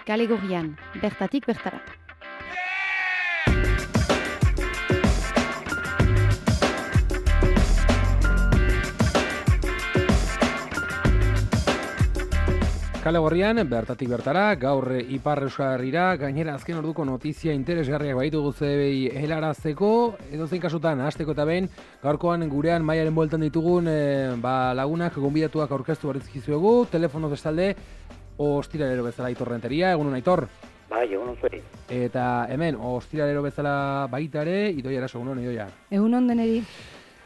Kale Gorrian, bertatik bertara. Kale Gorrian, bertatik bertara, gaur Ipar Euskarrira, gainera azken orduko notizia interesgarriak baitugu zebei helarazteko, edozein kasutan, hasteko eta behin, gaurkoan gurean Maiaren bueltan ditugun lagunak, gonbidatuak aurkeztu barizkizuegu, telefono bestalde, ostiralero bezala Aitor Renteria, egunon Aitor? Bai, egunon zuei. Eta hemen, ostiralero bezala baita ere, Idoia eraso, egunon Idoia. Egunon deneri.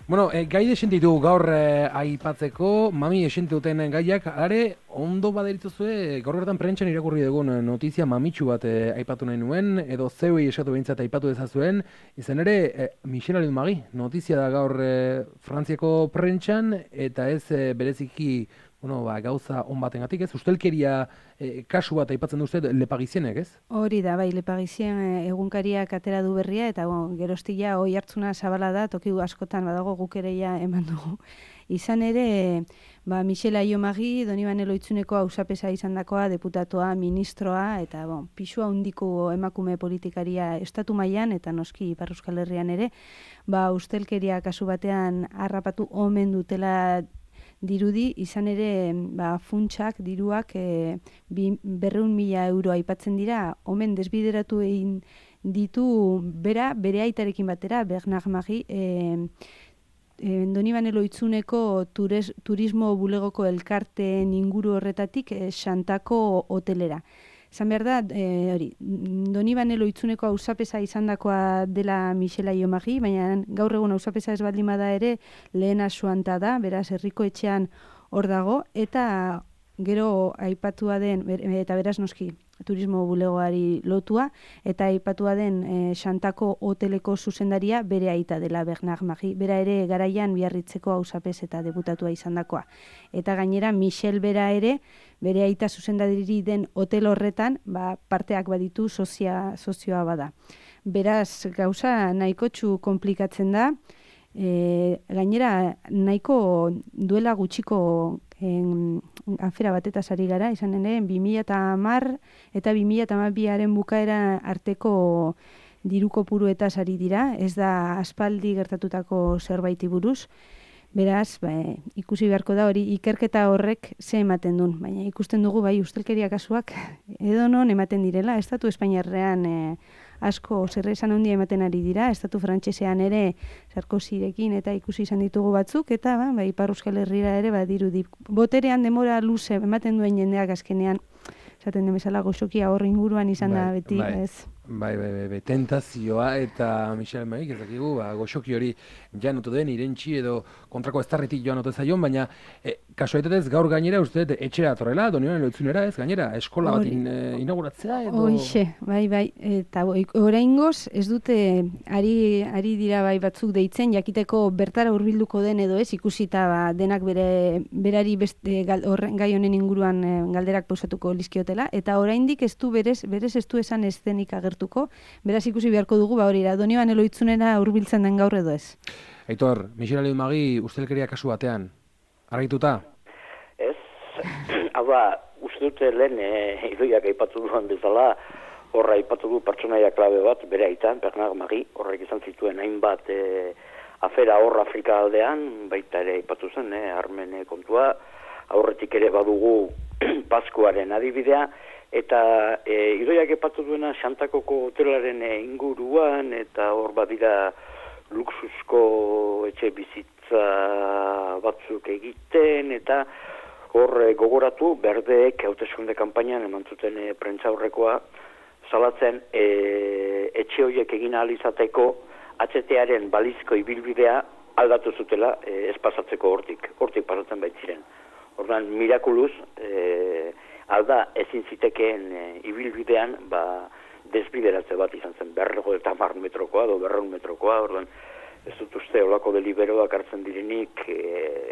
Bueno, gai desentitu gaur aipatzeko, mami esente duten gaiak, are, ondo baderituzue, gaur bertan prentxan irakurri dugun notizia mamitsu bat aipatu nahi nuen, edo zeuei esatu behintzat aipatu dezazuen, izan ere, Michel Alliot-Marie, notizia da gaur Frantziako prentxan, eta ez bereziki, gauza on batengatik, ez? Ustelkeria kasu bat aipatzen du uste Le Parisienek, ez? Hori da, bai, Le Parisien egunkariak atera du berria, eta geroztia hoi hartzuna zabala da, toki askotan badago guk ere ja eman dugu. Izan ere, Michel Alliot-Marie, Donibane Lohitzuneko auzapeza izandakoa, deputatua, ministroa, eta pisua handiko emakume politikaria estatu mailan eta noski Ipar Euskal Herrian ere, ustelkeria kasu batean harrapatu omen dutela dirudi, izan ere funtsak, diruak 200.000 euro aipatzen dira, omen desbideratu egin ditu bere aitarekin batera, Bernard Marie, Donibane Lohitzuneko turismo bulegoko elkarteen inguru horretatik Xantako hotelera. Esan behar da, Donibane Lohitzuneko auzapeza izandakoa dela Michel Alliot-Marie, baina gaur egun auzapeza ez baldin bada ere lehena Suanta da, beraz herriko etxean hor dago, eta gero aipatua den, eta beraz noski turismo bulegoari lotua, eta aipatua den Xantako hoteleko zuzendaria bere aita dela Bernard Marie, bera ere garaian Biarritzeko auzapez eta deputatua izandakoa. Eta gainera Michel bera ere, bere aita zuzendari den hotel horretan, parteak baditu sozioa bada. Beraz, gauza nahikotxu komplikatzen da, gainera nahiko duela gutxiko afera batetaz ari gara, izan ere 2010 eta 2012aren bukaera arteko diru kopuruetaz ari dira, ez da aspaldi gertatutako zerbaiti buruz. Beraz, ikusi beharko da hori ikerketa horrek ze ematen duen, baina ikusten dugu ustelkeria kasuak edonon ematen direla, estatu espainiarrean asko zerrezan handia ematen ari dira, estatu frantsesean ere Sarkozyrekin eta ikusi izan ditugu batzuk, eta Ipar Euskal Herrira ere dirudi. Boterean demora luze ematen duen jendeak azkenean, esaten den bezala goxokia hor inguruan izan da beti, ez? Bai, tentazioa eta Michel Alliot-Marie, ez dakigu, goxoki hori janotu den, irentxi edo kontrako eztarritik joan ote zaion, baina kasualitatez gaur gainera uste etxera atorrela, Donibane Lohitzunera, ez gainera, eskola bat inauguratzea edo... Hoixe, bai, eta oraingoz ez dute ari dira batzuk deitzen, jakiteko bertara hurbilduko den edo ez, ikusita denak berari gai honen inguruan galderak posatuko lizkiotela, eta oraindik ez du berez ez du esan eszenik agertuko, beraz ikusi beharko dugu hori da, Donibane Lohitzunera hurbiltzen den gaur edo ez. Aitor, Michel Alliot-Marie ustelkeria kasu batean, argituta? Ez, uste dute lehen Idoiak aipatu duan bezala, horra aipatu du pertsonaia klabe bat, bere aitan, Bernard Marie, horrek izan zituen hainbat afera hor Afrika aldean, baita ere aipatu zen, armen kontua, aurretik ere badugu Paskuaren adibidea, eta Idoiak aipatu duena Xantakoko hotelaren inguruan, eta hor badira luxusko etxe bizitza batzuk egiten, eta hor gogoratu berdeek hauteskunde kanpainan eman zuten prentza aurrekoa salatzen etxe horiek egin ahal izateko HT-aren balizko ibilbidea aldatu zutela ez pasatzeko hortik pasatzen baitziren. Orduan, mirakuluz, alda ezin zitekeen ibilbidean desbideratze bat izan zen 50 metrokoa edo 200 metrokoa, orduan ez dut uste olako deliberoak hartzen direnik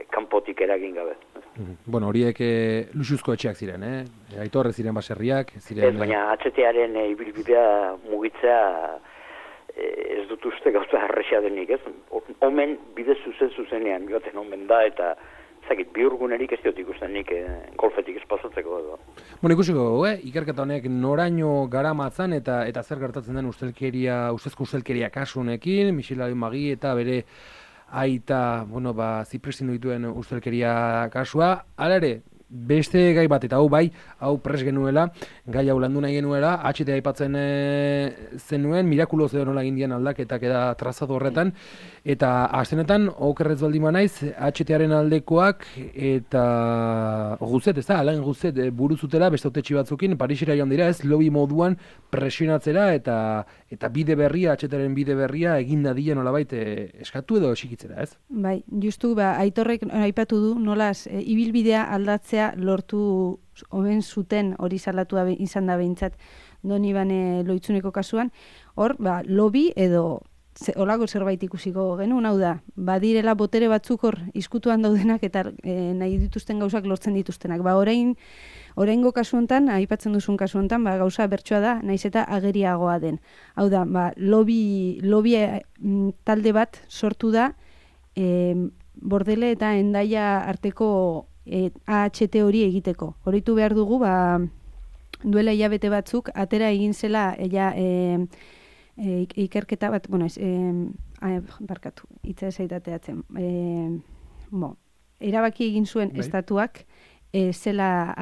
kanpotik eragin gabe. Bueno, horiek luxuzko etxeak ziren, Aitor, ez ziren baserriak, ziren... Ez, baina HT-aren ibilbidea mugitzea ez dut uste gauza errexea denik, ez? Omen bide zuzenean joaten omen da, eta zakit, bi urgunerik ez diot ikusten nik golfetik ez pasatzeko edo. Bueno, ikusiko, ikerketa honek noraino garamatzan eta zer gertatzen den ustezko ustelkeria kasu honekin, Michel Magi eta bere aita, zipresin dituen ustelkeria kasua. Hala ere, beste gai bat, eta hau pres genuela, gai hau landu nahi genuela, HT aipatzen zenuen, mirakuloz edo nola indian aldaketak eta trazado horretan, eta astenetan, okerrez baldin naiz, HT-aren aldekoak, eta Guzet, ez da, Alain Guzet buruzutela, beste autetxi batzukin, Parisera joan dira, ez, lobby moduan presionatzera, eta bide berria, HT-aren bide berria, egin dadila nolabait eskatu edo esikitzera, ez? Bai, justu, Aitorrek aipatu du, nolaz, ibilbidea aldatzea lortu oben zuten hori salatu izan da behintzat Donibane Lohitzuneko kasuan, hor, lobby edo olako zerbait ikusiko genuen, hau da, badirela botere batzuk hor izkutuan daudenak eta nahi dituzten gauzak lortzen dituztenak. Oraingo kasu hontan, aipatzen duzun kasu hontan, gauza bertsoa da, naiz eta ageriagoa den. Hau da, lobby talde bat sortu da Bordele eta Hendaia arteko AHT hori egiteko. Horitu behar dugu, duela hilabete batzuk, atera egin zela ikerketa bat, barkatu, hitza esaitateatzen. Erabaki egin zuen estatuak, zela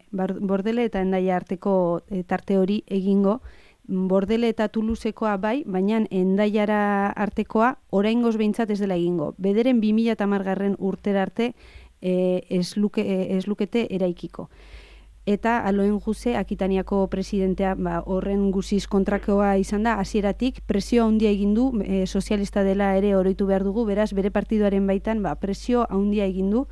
Bordele eta Hendaia arteko tarte hori egingo, Bordele eta Toulousekoa bai, baina Hendaiara artekoa oraingoz behintzat ez dela egingo. Bederen 2010 urtera arte ez lukete eraikiko. Eta Aloen Guze, Akitaniako presidentea, horren guziz kontrakoa izan da, hasieratik presio handia egin du, sozialista dela ere oroitu behar dugu, beraz bere partiduaren baitan presio handia egin du,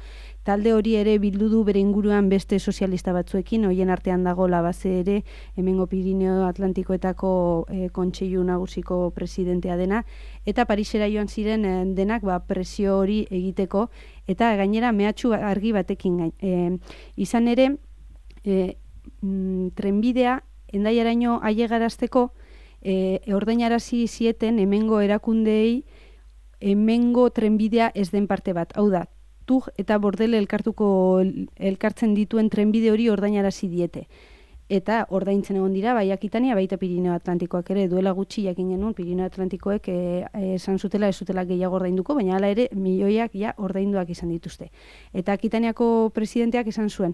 talde hori ere bildu du bere inguruan beste sozialista batzuekin, hoien artean dago Labaze ere, hemengo Pirineo Atlantikoetako kontseilu nagusiko presidentea dena, eta Parisera joan ziren denak presio hori egiteko, eta gainera mehatxu argi batekin izan ere, trenbidea Hendaiaraino ailegarazteko ordainarazi zieten hemengo erakundeei hemengo trenbidea ez den parte bat. Hau da, Tug eta Bordele elkartzen dituen trenbide hori ordainarazi diete. Eta ordaintzen egon dira, bai Akitania, baita Pirineo Atlantikoak ere, duela gutxi jakin genuen, Pirineo Atlantikoek esan zutela ez zutela gehiago ordainduko, baina hala ere milioiak ordainduak izan dituzte. Eta Akitaniako presidenteak esan zuen,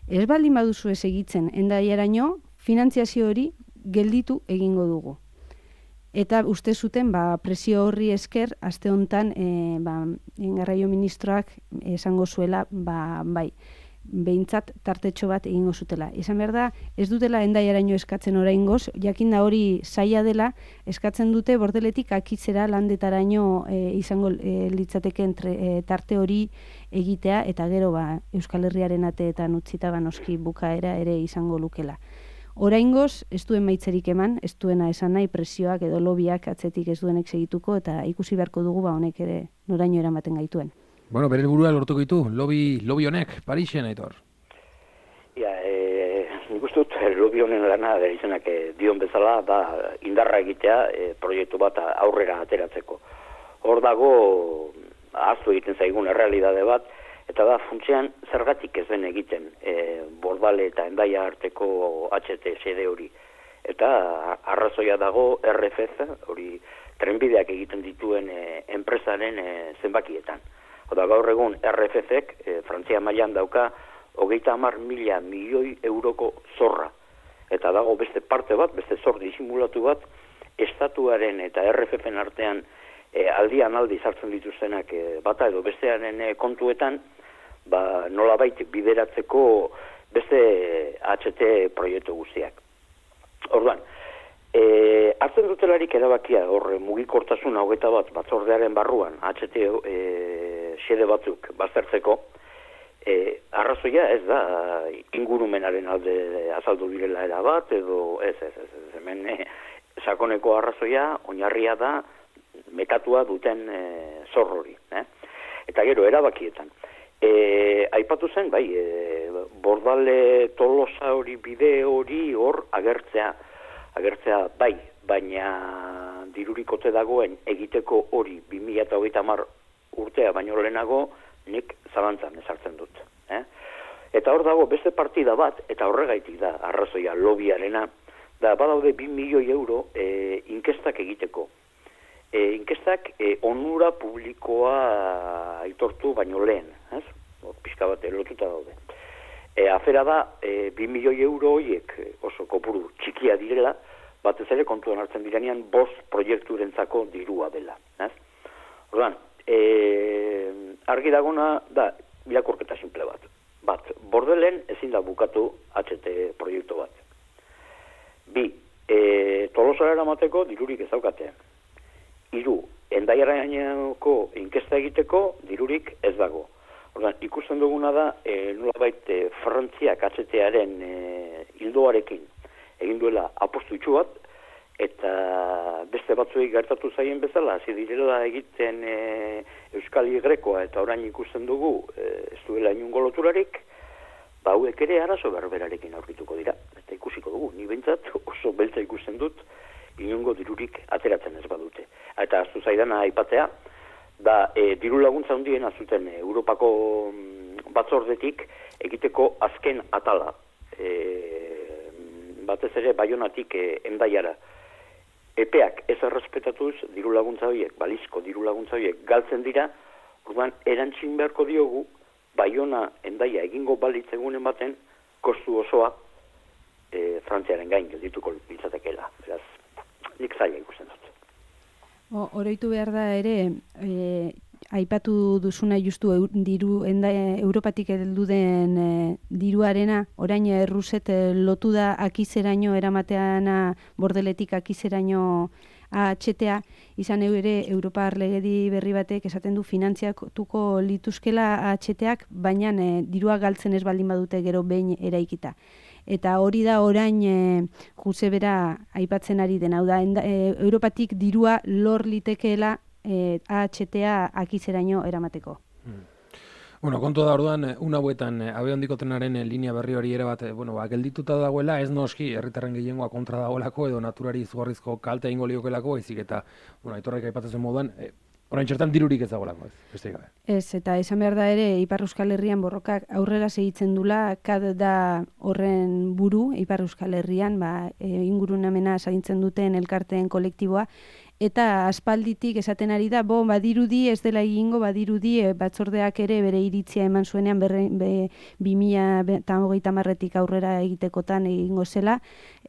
ez baldin baduzu ez egitzen, Hendaiaraino, finantziazio hori gelditu egingo dugu. Eta uste zuten, presio horri esker, aste hontan, garraio ministroak esango zuela, bai, behintzat tartetxo bat egingo zutela. Izan behar da, ez dutela Hendaiaraino eskatzen oraingoz, jakinda hori zaila dela, eskatzen dute Bordeletik Akitzera landetaraino izango litzateken tarte hori egitea, eta gero Euskal Herriaren ateetan utzita noski bukaera ere izango lukela. Oraingoz, ez duen maitzerik eman, ez duena esan nahi presioak edo lobiak atzetik ez duenek segituko, eta ikusi beharko dugu honek ere noraino eramaten gaituen. Bueno, bere helburua lortuko ditu, lobby honek, Parisen, Aitor. Nik uste dut, lobby honen lana, izenak dion bezala, indarra egitea proiektu bat aurrera ateratzeko. Hor dago, ahaztu egiten zaigun errealidade bat, eta da funtsean zergatik ez den egiten Bordale eta Hendaia arteko HT sede hori. Eta arrazoia dago RFZ, hori trenbideak egiten dituen enpresaren zenbakietan. Oda gaur egun RFZ-ek Frantzia mailan dauka 30.000 milioi euroko zorra. Eta dago beste parte bat, beste zor disimulatu bat, estatuaren eta RFZ-en artean aldian aldi sartzen dituztenak bata edo bestearen kontuetan, nolabait bideratzeko beste HT proiektu guztiak. Orduan, hartzen dutelarik erabakia hor mugikortasun 21 batzordearen barruan HT xede batzuk baztertzeko, arrazoia ez da ingurumenaren alde azaldu direla erabat edo ez, hemen sakoneko arrazoia oinarria da metatua duten zor hori. Eta gero erabakietan. Aipatu zen, Bordale Tolosa hori bide hori hor agertzea bai, baina dirurikote dagoen egiteko hori 2030 urtea baino lehenago nik zalantzan ezartzen dut. Eta hor dago beste partida bat, eta horregaitik da, arrazoia, lobiarena, da badaude 2 milioi euro inkestak egiteko. Inkestak onura publikoa aitortu baino lehen, ez? Pixka bat lotuta daude. Afera da, 2 milioi euro horiek oso kopuru txikia direla, batez ere kontuan hartzen direnean 5 proiekturentzako dirua dela. Orduan, argi dagona da irakurketa simple bat. Bordelen ezin da bukatu HT proiektu bat. 2, Tolosara eramateko dirurik ez daukate. 3, Hendaiaraineko inkesta egiteko dirurik ez dago. Orduan, ikusten duguna da, nolabait Frantziak HT-aren hildoarekin egin duela apostu itxu bat, eta beste batzuei gertatu zaien bezala, hasi direla egiten Euskal Grekoa, eta orain ikusten dugu ez duela inungo loturarik, hauek ere arazo berberarekin aurkituko dira. Eta ikusiko dugu, ni behintzat oso beltza ikusten dut, inungo dirurik ateratzen ez badute. Eta aztu zaidana aipatzea, da diru laguntza handiena zuten Europako batzordetik egiteko azken atala. Batez ere Baionatik Hendaiara. Epeak ez errespetatuz diru laguntza horiek, balizko diru laguntza horiek galtzen dira, orduan erantzin beharko diogu Baiona Hendaia egingo balitz egunen baten kostu osoa Frantziaren gain geldituko litzatekeela. Beraz, nik zaila ikusten dut. Oroitu behar da ere, aipatu duzuna justu Europatik heldu den diruarena, orain Erruset lotu da akizeraino eramateana, Bordeletik akizeraino HTA, izan ere Europar legedi berri batek esaten du finantziatuko lituzkela HTak, baina dirua galtzen ez baldin badute gero behin eraikita. Eta hori da orain Josebera aipatzen ari den, hau da, Europatik dirua lor litekeela HTA akizeraino eramateko. Bueno, kontu da orduan, una hauetan, abe handiko trenaren linea berri hori ere bat, geldituta dagoela, ez noski, herritarren gehiengoa kontra dagoelako, edo naturari izugarrizko kalte egingo liokelako, ezik eta, aitorrek aipatzen moduan, orain txertan dirurik ez dagoelako, ez gabe. Ez, eta esan behar da ere, Ipar Euskal Herrian borrokak aurrera segitzen dula, kad da horren buru, Ipar Euskal Herrian, ingurunamena zaintzen duten elkarteen kolektiboa, eta aspalditik esaten ari da, badirudi ez dela egingo, badirudi batzordeak ere bere iritzia eman zuenean 2030etik aurrera egitekotan egingo zela,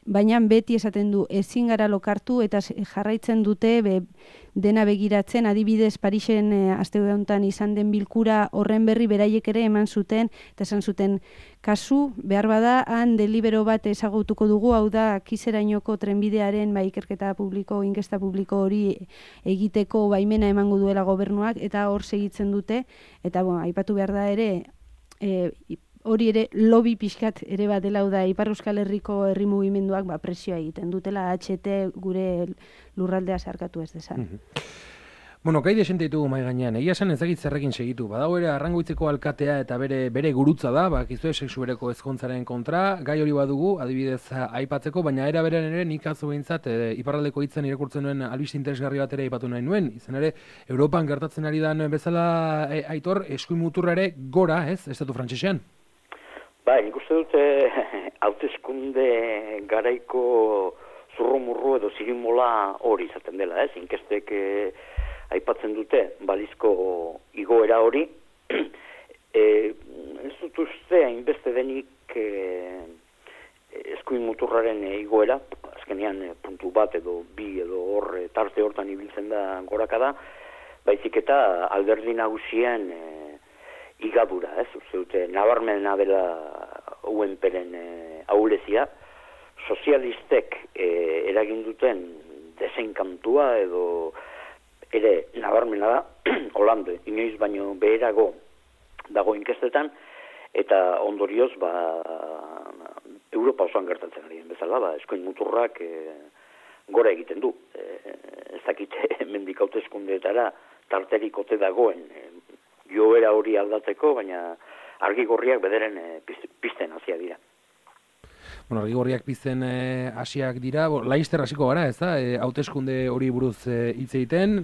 baina beti esaten du ezin gara lokartu eta jarraitzen dute dena begiratzen, adibidez Parisen aste honetan izan den bilkura horren berri beraiek ere eman zuten, eta esan zuten kasu, behar bada, han delibero bat ezagutuko dugu, hau da, Kizerainoko trenbidearen ikerketa publiko, inkesta publiko hori egiteko baimena emango duela gobernuak, eta hor segitzen dute, eta aipatu behar da ere, hori ere lobby pixkat ere bat dela, da Ipar Euskal Herriko herri mugimenduak presioa egiten dutela HT gure lurraldea zeharkatu ez dezan. Bueno, gai desente ditugu mai gainean. Egia esan ezagit zerrekin segitu. Badago ere Arrangoitzeko alkatea eta bere gurutza da, bakizue sexu bereko ezkontzaren kontra, gai hori badugu, adibidez aipatzeko, baina era berean ere nik atzo behintzat iparraldeko hitzen irakurtzen duen albiste interesgarri bat ere aipatu nahi nuen. Izan ere, Europan gertatzen ari da bezala Aitor, eskuin muturra ere gora, ez, estatu frantsesean? Nik uste dute hauteskunde garaiko zurrumurru edo zirimola hori izaten dela, ez? Inkestek aipatzen dute balizko igoera hori. Ez dut uste hainbeste denik eskuin muturraren igoera, azkenean puntu bat edo bi edo tarte hortan ibiltzen da gorakada, baizik eta alderdi nagusien igadura, ez? Uste dute nabarmena dela UNPren ahulezia, sozialistek eragin duten desenkantua edo ere nabarmena da, Holande, inoiz baino beherago dago inkestetan, eta ondorioz, Europa osoan gertatzen ari den bezala, eskuin muturrak gora egiten du. Ez dakite mendik hauteskundeetara tarterik ote dagoen joera hori aldatzeko, baina argi gorriak bederen pizten hasia dira. bueno, argigorriak pizten hasiak dira, Laister hasiko gara, ez da, hauteskunde hori buruz hitz egiten,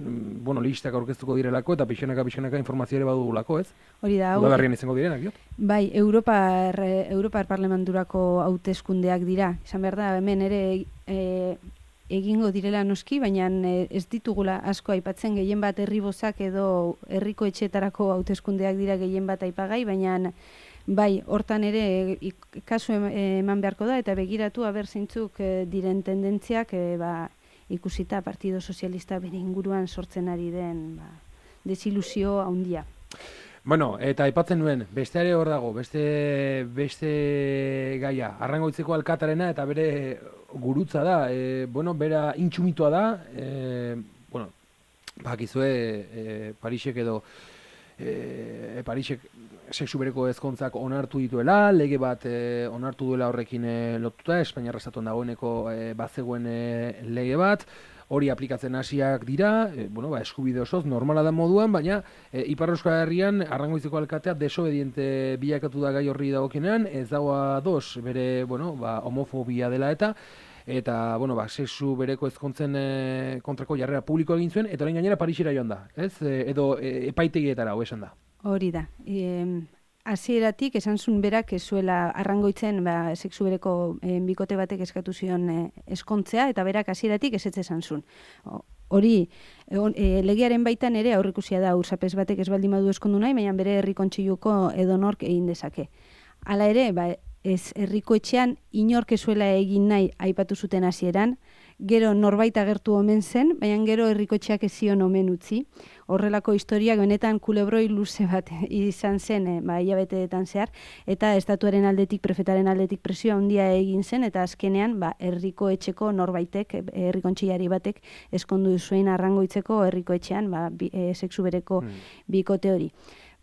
bueno, listak aurkeztuko direlako, eta pixanaka informazio ere badugulako, ez? Hori da, udaberrian izango direnak, diot? Bai, Europar Parlamenturako hauteskundeak dira. Izan behar da, hemen ere egingo direla noski, baina ez ditugula asko aipatzen, gehien bat herribozak edo herriko etxeetarako hauteskundeak dira gehien bat aipagai, baina bai, hortan ere kasu eman beharko da, eta begiratu aber zeintzuk diren tendentziak ikusita Partido Sozialista bere inguruan sortzen ari den desilusio handia. Bueno, eta aipatzen nuen, beste ere hor dago, beste gaia, Arrangoitzeko alkatarena eta bere gurutza da, bueno, bera intsumitua da, bueno, bakizue Parisek edo Parisek sexu bereko ezkontzak onartu dituela, lege bat onartu duela horrekin lotuta, Espainiarra estatuan dagoeneko bazegoen lege bat, hori aplikatzen hasiak dira, bueno, eskubide osoz, normala da moduan, baina Ipar Euskal Herrian Arrangoizeko alkatea desobediente bilakatu da gai horri dagokienean, ez dago ados bere, bueno, homofobia dela eta bueno, sexu bereko ezkontzen kontrako jarrera publiko egin zuen, eta orain gainera Parisera joan da, ez? Edo epaitegietara, esan da. Hori da. Hasieratik esan zuen berak ez zuela Arrangoitzen sexu bereko bikote batek eskatu zion eskontzea, eta berak hasieratik ezetz esan zuen. Hori, legearen baitan ere aurrikusia da ursapez batek ez baldin badu eskondu nahi, baina bere herri kontseiluko edonork egin dezake. Hala ere, ez herriko etxean inork ez zuela egin nahi aipatu zuten hasieran, gero norbait agertu omen zen, baina gero herriko etxeak ez zion omen utzi. Horrelako historiak benetan kulebroi luze bat izan zen, hilabeteetan zehar, eta estatuaren aldetik, prefetaren aldetik presioa handia egin zen, eta azkenean herriko etxeko norbaitek, herri kontseilari batek, eskondu zuen Arrangoitzeko herriko etxean sexu bereko bikote hori.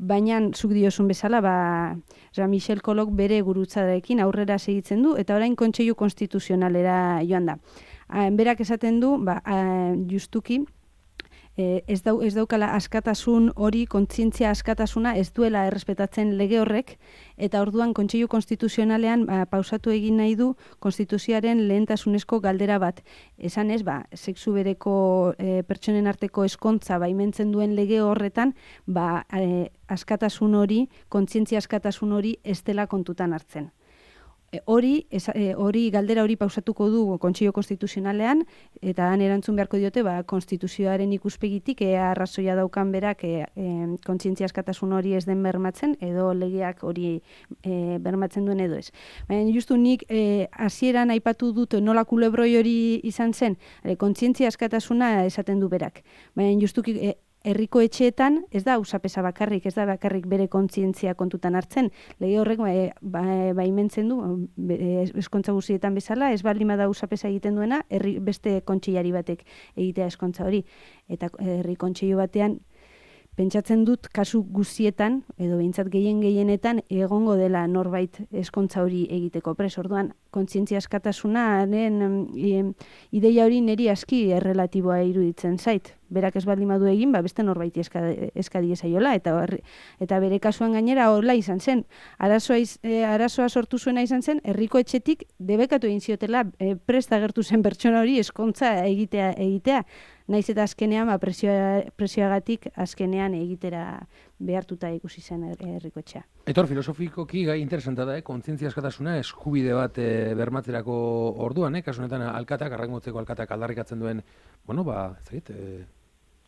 Baina, zuk diozun bezala, Jean-Michel Kolok bere gurutzarekin aurrera segitzen du, eta orain kontseilu konstituzionalera joan da. Berak esaten du, justuki, ez daukala askatasun hori, kontzientzia askatasuna ez duela errespetatzen lege horrek, eta orduan kontseilu konstituzionalean pausatu egin nahi du konstituzioaren lehentasunezko galdera bat. Esan ez, sexu bereko pertsonen arteko eskontza baimentzen duen lege horretan, askatasun hori, kontzientzia askatasun hori ez dela kontutan hartzen. Galdera hori pausatuko du Kontseilu Konstituzionalean, eta han erantzun beharko diote, konstituzioaren ikuspegitik arrazoia daukan berak kontzientzia askatasun hori ez den bermatzen, edo legeak hori bermatzen duen edo ez. Baina justu nik hasieran aipatu dut nola kulebroi hori izan zen, kontzientzia askatasuna esaten du berak. Baina justuki herriko etxeetan ez da ausapesa bakarrik, ez da bakarrik bere kontzientzia kontutan hartzen. Lege horrek baimentzen du, eskontza guztietan bezala, ez baldin bada ausapesa egiten duena, beste kontseilari batek egitea eskontza hori. Eta herri kontseilu batean, pentsatzen dut kasu guztietan, edo behintzat gehienetan, egongo dela norbait eskontza hori egiteko pres. Orduan, kontzientzia askatasunaren ideia hori niri aski errelatiboa iruditzen zait. Berak ez baldin badu egin, beste norbait eskadi ezaiola, eta bere kasuan gainera horla izan zen. Arazoa sortu zuena izan zen, herriko etxetik debekatu egin ziotela prest agertu zen pertsona hori eskontza egitea. Naiz eta azkenean, presioagatik azkenean egitera behartuta ikusi zen herriko etxea. Etor, filosofikoki gai interesanta da, kontzientzia askatasuna eskubide bat bermatzerako orduan, kasunetan Arrangoitzeko alkatak aldarrikatzen duen, bueno,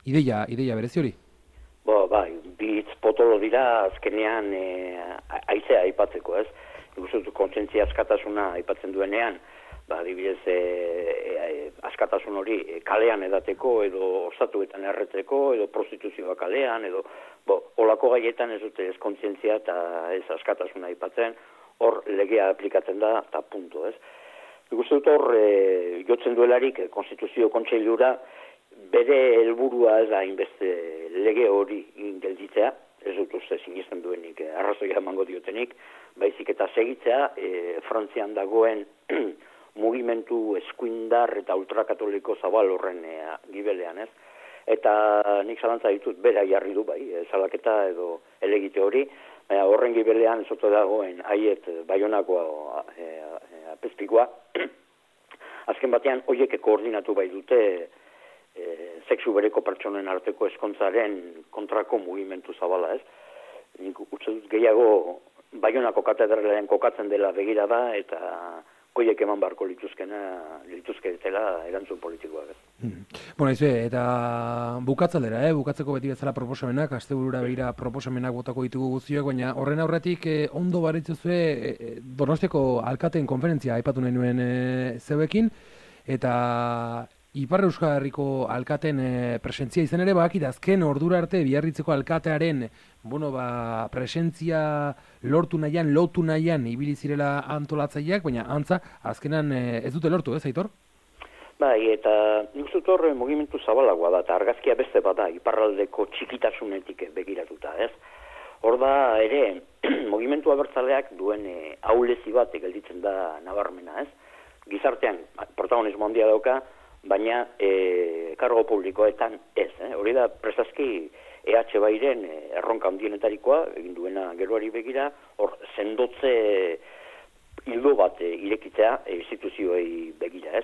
ideia berezi hori? Bitz potolo dira azkenean aizea aipatzeko, ez? Ikusten kontzientzia askatasuna aipatzen duenean, adibidez askatasun hori kalean edateko, edo ostatuetan erreteko, edo prostituzioa kalean, edo olako gaietan ez dute ez kontzientzia eta ez askatasuna aipatzen, hor legea aplikatzen da, eta punto, ez? Ikusten dut hor, jotzen duelarik Konstituzio Kontseilura, bere helburua ez da hainbeste lege hori gelditzea, ez dut uste sinesten duenik, arrazoia emango diotenik, baizik eta segitzea, Frantzian dagoen mugimendu eskuindar eta ultrakatoliko zabal horren gibelean, ez? Eta nik zalantza ditut, bera jarri du salaketa edo elegite hori, horren gibelean zoto dagoen haiet Baionako apezpikoa. Azken batean, horiek koordinatu bai dute sexu bereko pertsonen arteko eskontzaren kontrako mugimendu zabala, ez? Nik uste dut gehiago Baionako katedralean kokatzen dela begira da, eta horiek eman barko lituzketela erantzun politikoak. Bueno, eta bukatzaldera, bukatzeko beti bezala proposamenak, asteburura begira proposamenak botako ditugu guztiak, baina horren aurretik ondo baritzuzue Donostiako alkateen konferentzia aipatu nahi nuen zeuekin, eta Ipar Euskal Herriko alkaten presentzia izan ere, bakit azken ordura arte Biarritzeko alkatearen presentzia lotu nahian ibili zirela antolatzaileak, baina antza azkenan ez dute lortu, ez, Aitor? Bai, eta nik uste dut mugimendu zabalagoa da, eta argazkia beste bada iparraldeko txikitasunetik begiratuta, ez? Hor da ere, mugimendu abertzaleak duen ahulezi bat gelditzen da nabarmena, ez? Gizartean protagonismo handia dauka, baina kargo publikoetan ez. Hori da prestazki EH Bairen erronka handienetarikoa, egin duena geroari begira, hor sendotze hildo bat irekitzea instituzioei begira, ez?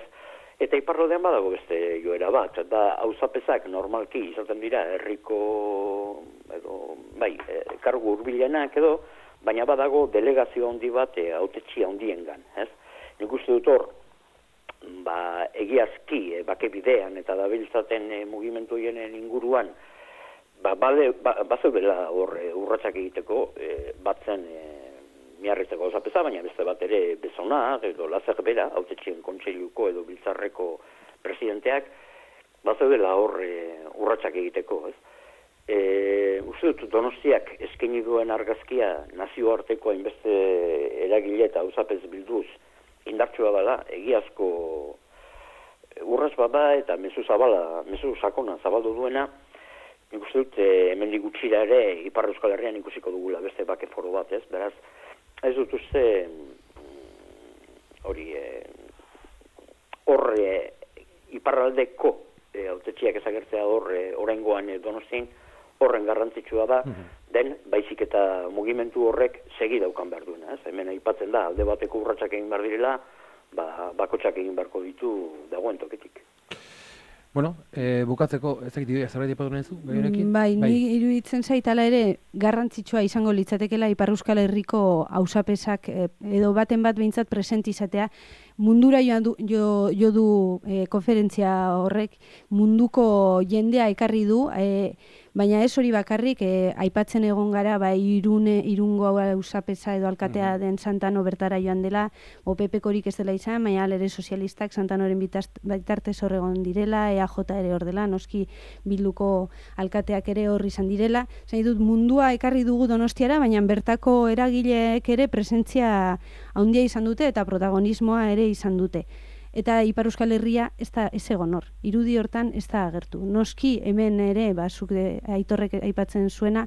Eta iparraldean badago beste joera bat, da auzapezak normalki izaten dira herriko kargu hurbilenak edo, baina badago delegazio handi bat hautetsi handiengan, ez? Nik uste dut hor, egiazki bake bidean eta dabiltzaten mugimendu hienen inguruan bazeudela hor urratsak egiteko batzen miarritzeko auzapeza, baina beste bat ere Bezona edo Lazer bera, hautetxien kontseiluko edo biltzarreko presidenteak bazeudela hor urratsak egiteko, ez? Uste dut Donostiak eskaini duen argazkia nazioarteko hainbeste eragile eta auzapez bilduz indartsua dela, egiazko urraz bada eta mezu sakona zabaldu duena, nik uste dut hemendik gutxira ere Ipar Euskal Herrian ikusiko dugula beste bake foro bat, ez? Beraz, ez dut uste iparraldeko hautetxiak ezagertzea oraingoan Donostian horren garrantzitsua da, den baizik eta mugimendu horrek segi daukan behar duena, ez? Hemen aipatzen da, alde bateko urratsak egin behar direla, bakotsak egin beharko ditu dagoen toketik. Bueno, bukatzeko, ez dakit ideia zerbait aipatu nahi zu? Bai, ni iruditzen zait hala ere garrantzitsua izango litzatekeela Ipar Euskal Herriko auzapesak edo baten bat behintzat presente izatea. Mundura jo du konferentzia horrek, munduko jendea ekarri du, baina ez hori bakarrik, aipatzen egon gara, Irungo auzapeza edo alkatea den Santano bertara joan dela, OPP-korik ez dela izan, baina ere sozialistak Santanoren bitartez hor egon direla, EAJ ere hor dela, noski Bilduko alkateak ere hor izan direla. Zain dut, mundua ekarri dugu Donostiara, baina bertako eragileek ere presentzia handia izan dute eta protagonismoa ere izan dute. Eta Ipar Euskal Herria ez egon hor. Irudi hortan ez da agertu. Noski hemen ere, zuk Aitorrek aipatzen zuena,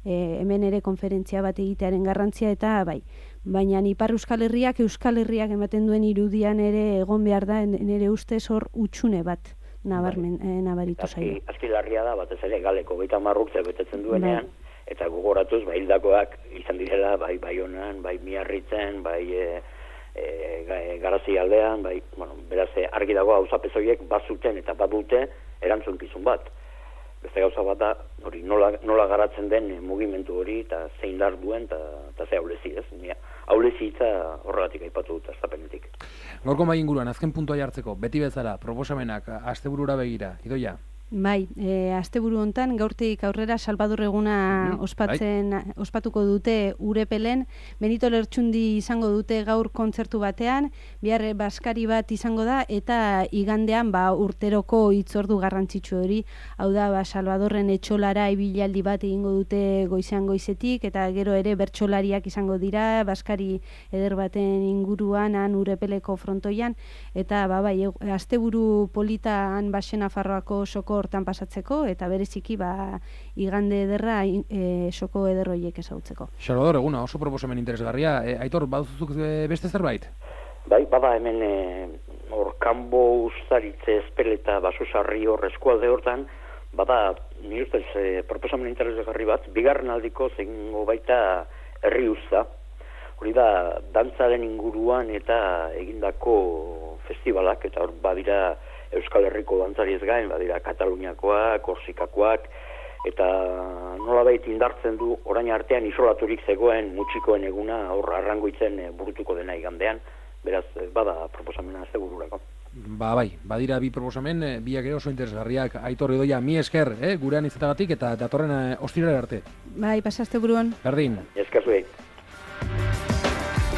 hemen ere konferentzia bat egitearen garrantzia eta bai. Baina Ipar Euskal Herriak ematen duen irudian ere egon behar da, nire ustez hor utxune bat nabaritu zaio. Azki larria da, batez ere galeko 30 urte betetzen duenean, eta gogoratuz, hildakoak izan direla, bai Baionan, bai Miarritzen, bai Garazi aldean, beraz argi dago auzapez horiek bazuten eta badute erantzunkizun bat. Beste gauza bat da, hori nola garatzen den mugimendu hori eta zein dar duen eta ze aulezi, ez? Aulezi hitza horregatik aipatu dut astapenetik. Gaurko mahai inguruan, azken puntua jartzeko, beti bezala, proposamenak, asteburura begira, Idoia? Bai, asteburu hontan gaurtik aurrera Salvador eguna ospatuko dute Urepelen, Benito Lertxundi izango dute gaur kontzertu batean, bihar baskari bat izango da eta igandean urteroko hitzordu garrantzitsu hori, hau da Salvadorren etxolara ibilaldi bat egingo dute goizean goizetik eta gero ere bertsolariak izango dira baskari eder baten inguruan han Urepeleko frontoian eta asteburu politan Baxe Nafarroako soko hortan pasatzeko eta bereziki igande ederra soko eder horiek ezautzeko. Salvador, eguna oso proposamen interesgarria. Aitor, baduzuzuk beste zerbait? Bai, bada hemen hor kanbo ustaritze espeleta basusarri hor eskualde hortan, bada nire ustez proposamen interesgarri bat, bigarren aldiko zengo baita herri usta. hori da dantzaren inguruan eta egindako festivalak, eta hor badira Euskal Herriko dantzariez gain, badira Kataluniakoak, Korsikakoak, eta nolabait indartzen du orain artean isolaturik zegoen mutxikoen eguna hor Arrangoitzen burutuko dena igandean, beraz bada proposamena segururako. Bai, badira bi proposamen, biak ere oso interesgarriak. Aitor Idoia, mi esker, gurean izatagatik eta datorren ostiralera arte. Bai, pasazte buruan. Berdin. Esker zuei.